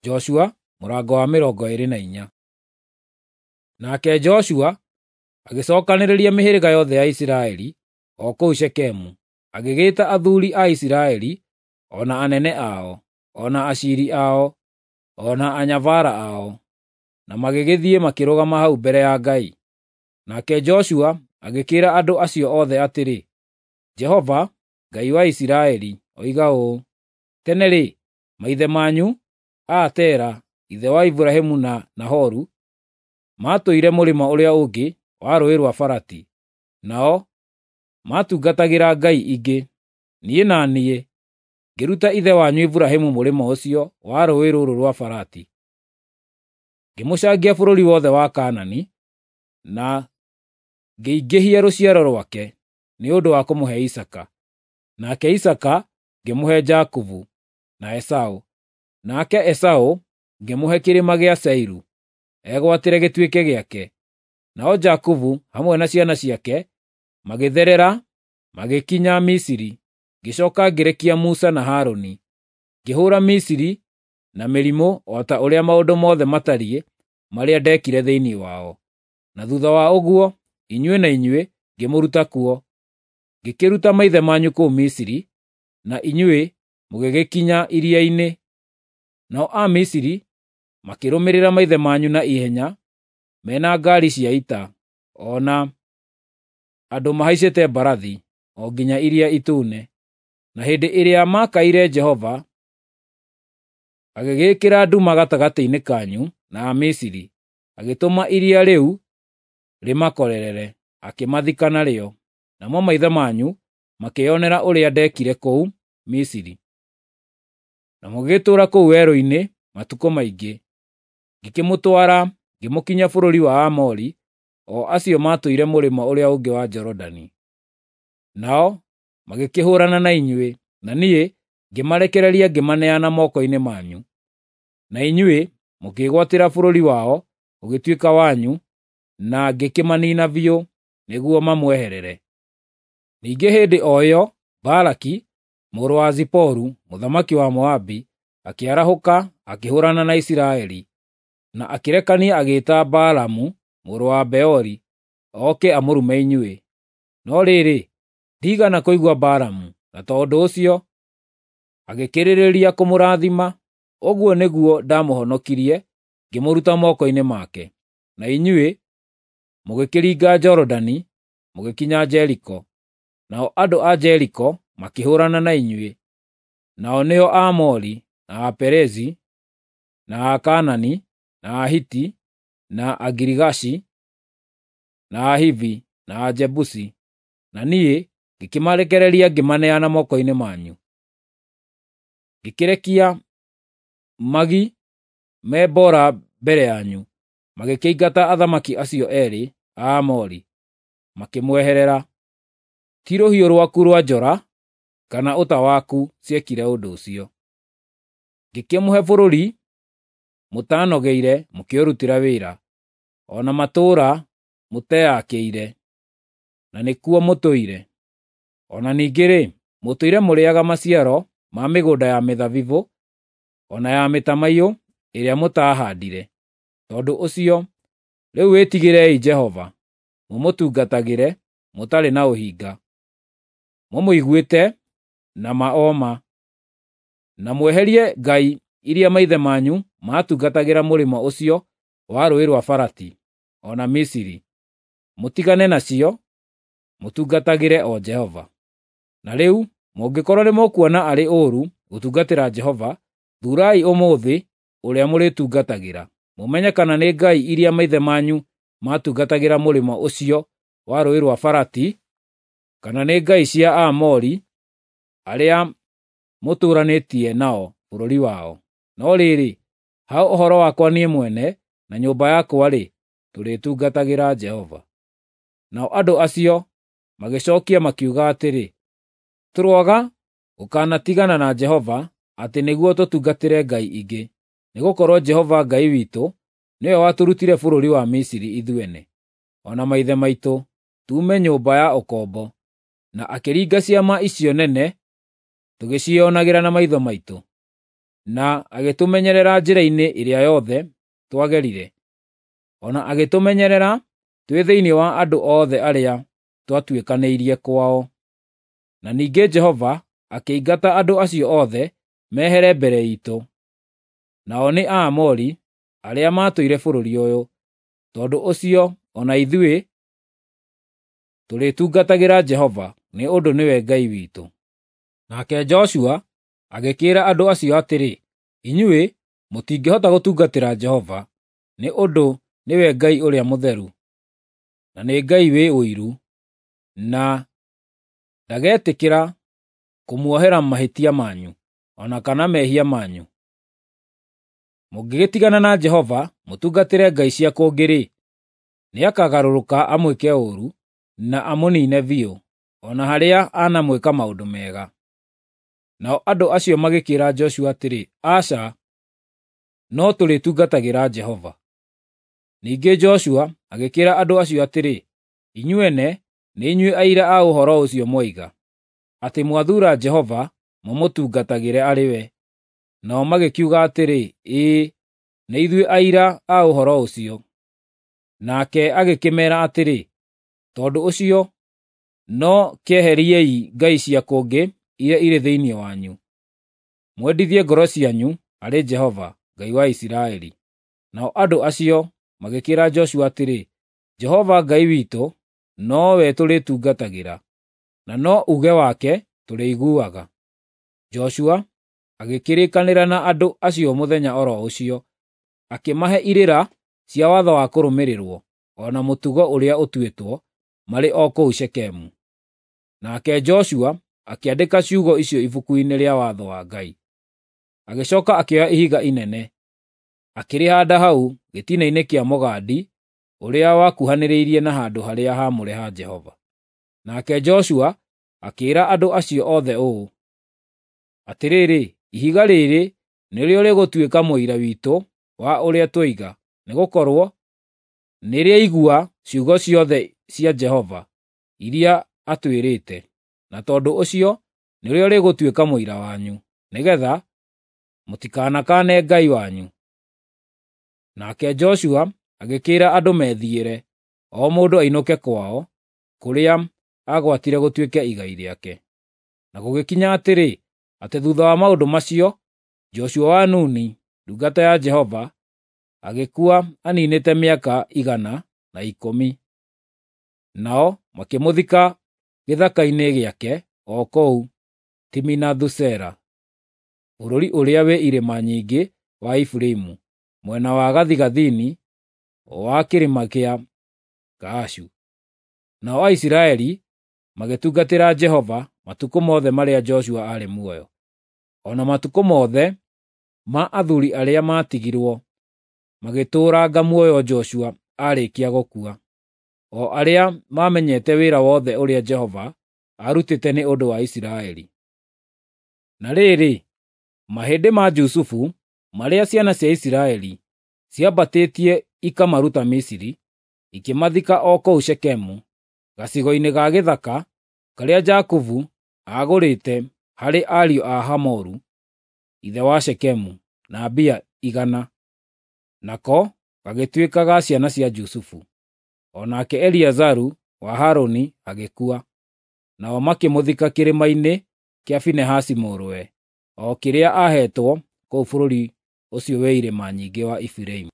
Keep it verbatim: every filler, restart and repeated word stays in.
Joshua mũrango wa mĩrongo ĩĩrĩ na inya. Nake Joshua agĩcokanĩrĩria mĩhĩrĩga yothe ya Isiraeli o kũu Shekemu, agĩgĩĩta athuuri a Isiraeli, o na anene ao, o na aciiri ao, o na anyabara ao, na magĩgĩthiĩ makĩrũgama hau mbere ya Ngai. Nake Joshua agĩkĩĩra andũ acio othe atĩrĩ, Jehova, Ngai wa Isiraeli, oiga ũũ, Tene-rĩ, maithe manyu, a Tera, ithe wa Iburahĩmu na Nahoru, maatũire mũrĩmo ũrĩa ũngĩ wa Rũũĩ rwa Farati, nao maatungatagĩra ngai ingĩ. Niĩ na niĩ ngĩruta ithe wanyu Iburahĩmu mũrĩmo ũcio wa rũũĩ rũrũ rwa Farati, ngĩmũcangia bũrũri wothe wa Kaanani, na ngĩingĩhia rũciaro rwake nĩ ũndũ wa kũmũhe Isaaka. Nake Isaaka ngĩmũhe Jakubu na Esaũ, nake Esaũ ngĩmũhe kĩrĩma gĩa Seiru egwatĩre gĩtuĩke gĩake. Nao Jakubu hamwe na ciana ciake magĩtherera magĩkinya Misiri. Ngĩcooka ngĩrekia Musa na Harũni, ngĩhũũra Misiri na mĩrimũ o ta ũrĩa maũndũ mothe matariĩ marĩa ndeekire thĩinĩ wao. Na thuutha wa ũguo, inyuĩ na inyuĩ ngĩmũruta kuo. Ngĩkĩruta maithe manyu kũu Misiri, na inyuĩ mũgĩgĩkinya iria-inĩ. Nao Amisiri makĩrũmĩrĩra maithe manyu na ihenya me na ngaari cia ita, o na andũ mahaicĩte mbarathi, o nginya Iria Itune. Na hĩndĩ ĩrĩa maakaire Jehova, agĩgĩĩkĩra nduma gatagatĩ-inĩ kanyu na Amisiri, agĩtũma iria rĩu rĩmakorerere, akĩmathika narĩo. Namo maithe manyu makĩĩonera ũrĩa ndeekire kũu Misiri. Na mũgĩgĩtũũra kũu werũ-inĩ matukũ maingĩ. Ngĩkĩmũtwara ngĩmũkinyia bũrũri wa Aamori, o acio maatũire mũrĩmo ũrĩa ũngĩ wa Jorodani. Nao magĩkĩhũũrana na inyuĩ, na niĩ ngĩmarekereria ngĩmaneana moko-inĩ manyu. Na inyuĩ mũkĩĩgwatĩra bũrũri wao ũgĩtuĩka wanyu, na ngĩkĩmaniina biũ nĩguo mamweherere. Ningĩ hĩndĩ o ĩyo Balaki mũrũ wa Ziporu, mũthamaki wa Moabi, akĩarahũka akĩhũũrana na Isiraeli, na akĩrekania agĩĩta Balamu mũrũ wa Beori oke amũrume inyuĩ. No rĩrĩ, ndiigana kũigua Balamu, na tondũ ũcio agĩkĩrĩrĩria kũmũrathima. Ũguo nĩguo ndamũhonokirie ngĩmũruta moko-inĩ make. Na inyuĩ mũgĩkĩringa Jorodani mũgĩkinya Jeriko. Nao andũ a Jeriko makĩhũũrana na inyuĩ, nao nĩo Aamori, na Aperezi, na Akaanani, na Ahiti, na Agirigashi, na Ahivi, na Ajebusi, na niĩ ngĩkĩmarekereria ngĩmaneana moko-inĩ manyu. Ngĩkĩrekia magi me mboora mbere yanyu, magĩkĩingata athamaki acio eerĩ a Aamori, makĩmweherera. Ti rũhiũ rwaku rwa njora kana ũta waku ciekire ũndũ ũcio. Ngĩkĩmũhe bũrũri mũtaanogeire mũkĩũrutĩra wĩra, o na matũũra mũteyakĩire, na nĩkuo mũtũire. O na ningĩ-rĩ, mũtũire mũrĩĩaga maciaro ma mĩgũnda ya mĩthabibũ o na ya mĩtamaiyũ ĩrĩa mũtaahandire. Tondũ ũcio, rĩu wĩtigĩrei Jehova, mũmũtungatagĩre mũtarĩ na ũhinga, mũmũiguĩte na ma o ma, na mweherie ngai iria maithe manyu maatungatagĩra mũrĩmo ũcio wa Rũũĩ rwa Farati, o na Misiri. Mũtigane nacio, mũtungatagĩre o Jehova. Na rĩu mũngĩkorwo nĩmũkuona arĩ ũũru gũtungatĩra Jehova, thuurai ũmũthĩ ũrĩa mũrĩtungatagĩra, mũmenye kana nĩ ngai iria maithe manyu maatungatagĩra mũrĩmo ũcio wa Rũũĩ rwa Farati, kana nĩ ngai cia Aamori arĩa mũtũũranĩtie nao bũrũri wao. No rĩrĩ, ha ũhoro wakwa niĩ mwene na nyũmba yakwa-rĩ, tũrĩtungatagĩra Jehova. Nao andũ acio magĩcookia makiuga atĩrĩ, Tũroaga gũkanatigana na Jehova atĩ nĩguo tũtungatĩre ngai ingĩ, nĩgũkorwo Jehova Ngai witũ nĩwe watũrutire bũrũri wa Misiri ithuene, o na maithe maitũ, tuume nyũmba ya ũkombo, na akĩringa ciama icio nene tũgĩciĩonagĩra na maitho maitũ. na agĩtũmenyerera njĩra-inĩ ĩrĩa yothe twagerire, o na agĩtũmenyerera twĩ thĩinĩ wa andũ othe arĩa twatuĩkanĩirie kwao. Na ningĩ Jehova akĩingata andũ acio othe mehere mbere iitũ, nao nĩ Aamori arĩa maatũire bũrũri ũyũ. Tondũ ũcio o na ithuĩ tũrĩtungatagĩra Jehova, nĩ ũndũ nĩwe Ngai witũ. Nake Joshua agĩkĩĩra andũ acio atĩrĩ, “Inyuĩ mũtingĩhota gũtungatĩra Jehova, nĩ ũndũ nĩwe Ngai ũrĩa mũtheru, na nĩ Ngai wĩ ũiru, na ndagetĩkĩra kũmuohera mahĩtia manyu, o na kana mehia manyu. Mũngĩgĩtigana na Jehova mũtungatĩre ngai cia kũngĩ-rĩ, nĩakagarũrũka amwĩke ũũru na amũniine biũ, o na harĩa anamwĩka maũndũ mega.” Nao andũ acio magĩkĩĩra Joshua atĩrĩ, “Aca, no tũrĩtungatagĩra Jehova.” Ningĩ Joshua agĩkĩĩra andũ acio atĩrĩ, “Inyuene nĩ inyuĩ aira a ũhoro ũcio mwoiga, atĩ mwathuura Jehova mũmũtungatagĩre arĩ we.” Nao magĩkiuga atĩrĩ, “Ĩĩ, nĩ ithuĩ aira a ũhoro ũcio.” Nake agĩkĩmeera atĩrĩ, “Tondũ ũcio no kĩeheriei ngai cia kũngĩ iria irĩ thĩinĩ wanyu, mwendithie ngoro cianyu harĩ Jehova, Ngai wa Isiraeli.” Nao andũ acio magĩkĩĩra Joshua atĩrĩ, “Jehova Ngai witũ nowe tũrĩtungatagĩra, na no uuge wake tũrĩiguaga.” Joshua agĩkĩrĩkanĩra na andũ acio mũthenya o ro ũcio, akĩmahe irĩra cia watho wa kũrũmĩrĩrwo, o na mũtugo ũrĩa ũtuĩtwo, marĩ o kũu Shekemu. Nake Joshua akĩandĩka ciugo icio ibuku-inĩ rĩa watho wa Ngai. Agĩcooka akĩoya ihiga inene, akĩrĩhaanda hau gĩtina-inĩ kĩa mũgandi ũrĩa wakuhanĩrĩirie na handũ harĩa haamũre ha Jehova. Nake Joshua akĩĩra andũ acio othe ũũ, “Atĩrĩrĩ, ihiga rĩrĩ nĩrĩo rĩgũtuĩka mũira witũ wa ũrĩa twoiga, nĩgũkorwo nĩrĩaigua ciugo ciothe cia Jehova iria atwĩrĩte, na tondũ ũcio nĩrĩo rĩgũtuĩka mũira wanyu, nĩgeetha mũtikanakaane Ngai wanyu.” Nake Joshua agĩkĩĩra andũ methiĩre, o mũndũ ainũke kwao, kũrĩa aagwatire gũtuĩke igai rĩake. Na gũgĩkinya atĩrĩ, atĩ thuutha wa maũndũ macio, Joshua wa Nuni, ndungata ya Jehova, agĩkua aniinĩte mĩaka igana na ikũmi. Nao makĩmũthika gĩthaka-inĩ gĩake o kũu Timinathu-Sera, bũrũri ũrĩa wĩ irĩma nyingĩ wa Efiraimu, mwena wa gathigathini wa kĩrĩma kĩa Gaashu. Nao Aisiraeli magĩtungatĩra Jehova matukũ mothe marĩa Joshua aarĩ muoyo, o na matukũ mothe ma athuuri arĩa maatigirwo magĩtũũranga muoyo Joshua aarĩkia gũkua, o arĩa maamenyete wĩra wothe ũrĩa Jehova aarutĩte nĩ ũndũ wa Isiraeli. Na rĩrĩ, mahĩndĩ ma Jusufu marĩa ciana cia Isiraeli ciambatĩtie ikamaruta Misiri, ikĩmathika o kũu Shekemu, gacigo-inĩ ga gĩthaka karĩa Jakubu aagũrĩte harĩ ariũ a Hamoru, ithe wa Shekemu, na mbia igana. Nako gagĩtuĩka ga ciana cia Jusufu. O nake Eliazaru wa Harũni agĩkua, nao makĩmũthika kĩrĩma-inĩ kĩa Finehasi mũrũwe, o kĩrĩa aaheetwo kũu bũrũri ũcio wĩ irĩma nyingĩ wa Efiraimu.